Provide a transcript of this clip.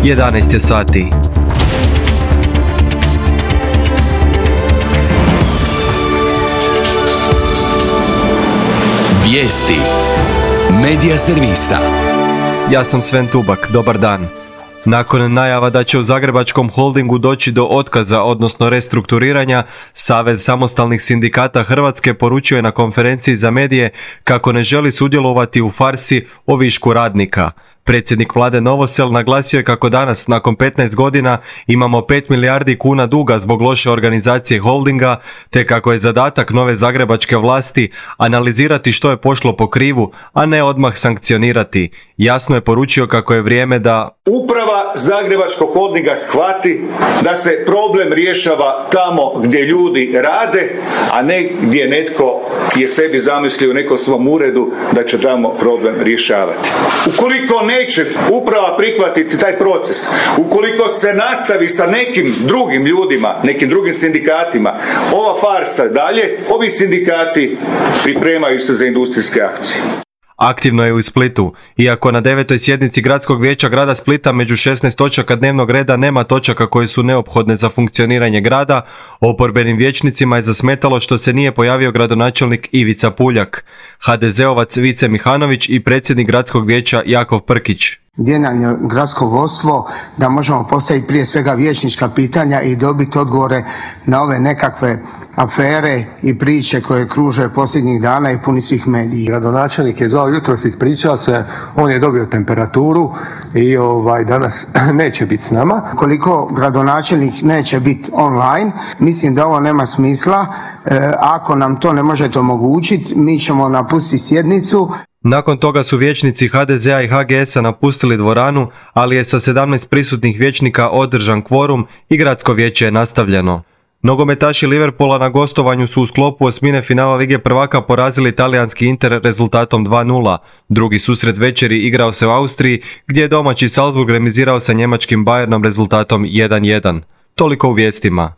11 je sati. Vijesti Medija servisa. Ja sam Sven Tubak, dobar dan. Nakon najava da će u Zagrebačkom holdingu doći do otkaza, odnosno restrukturiranja, Savez samostalnih sindikata Hrvatske poručio je na konferenciji za medije kako ne želi sudjelovati u farsi o višku radnika. Predsjednik vlade Novosel naglasio je kako danas, nakon 15 godina, imamo 5 milijardi kuna duga zbog loše organizacije holdinga, te kako je zadatak nove zagrebačke vlasti analizirati što je pošlo po krivu, a ne odmah sankcionirati. Jasno je poručio kako je vrijeme da uprava Zagrebačkog holdinga shvati da se problem rješava tamo gdje ljudi rade, a ne gdje netko je sebi zamislio u nekom svom uredu da će tamo problem rješavati. Ukoliko neće uprava prihvatiti taj proces, ukoliko se nastavi sa nekim drugim ljudima, nekim drugim sindikatima, ova farsa dalje, ovi sindikati pripremaju se za industrijske akcije. Aktivno je u Splitu. Iako na 9. sjednici Gradskog vijeća grada Splita među 16 točaka dnevnog reda nema točaka koje su neophodne za funkcioniranje grada, oporbenim vijećnicima je zasmetalo što se nije pojavio gradonačelnik Ivica Puljak, HDZ-ovac Vice Mihanović i predsjednik Gradskog vijeća Jakov Prkić. Gdje nam je gradsko vodstvo da možemo postaviti prije svega vijećnička pitanja i dobiti odgovore na ove nekakve afere i priče koje kruže posljednjih dana i puni svih medija. Gradonačelnik je zvao jutros, ispričao se, on je dobio temperaturu i danas neće biti s nama. Koliko gradonačelnik neće biti online, mislim da ovo nema smisla. Ako nam to ne možete omogućiti, mi ćemo napustiti sjednicu. Nakon toga su vijećnici HDZ-a i HGS-a napustili dvoranu, ali je sa 17 prisutnih vijećnika održan kvorum i gradsko vijeće je nastavljeno. Nogometaši Liverpoola na gostovanju su u sklopu osmine finala Lige prvaka porazili talijanski Inter rezultatom 2:0. Drugi susret večeri igrao se u Austriji, gdje je domaći Salzburg remizirao sa njemačkim Bayernom rezultatom 1:1. Toliko u vijestima.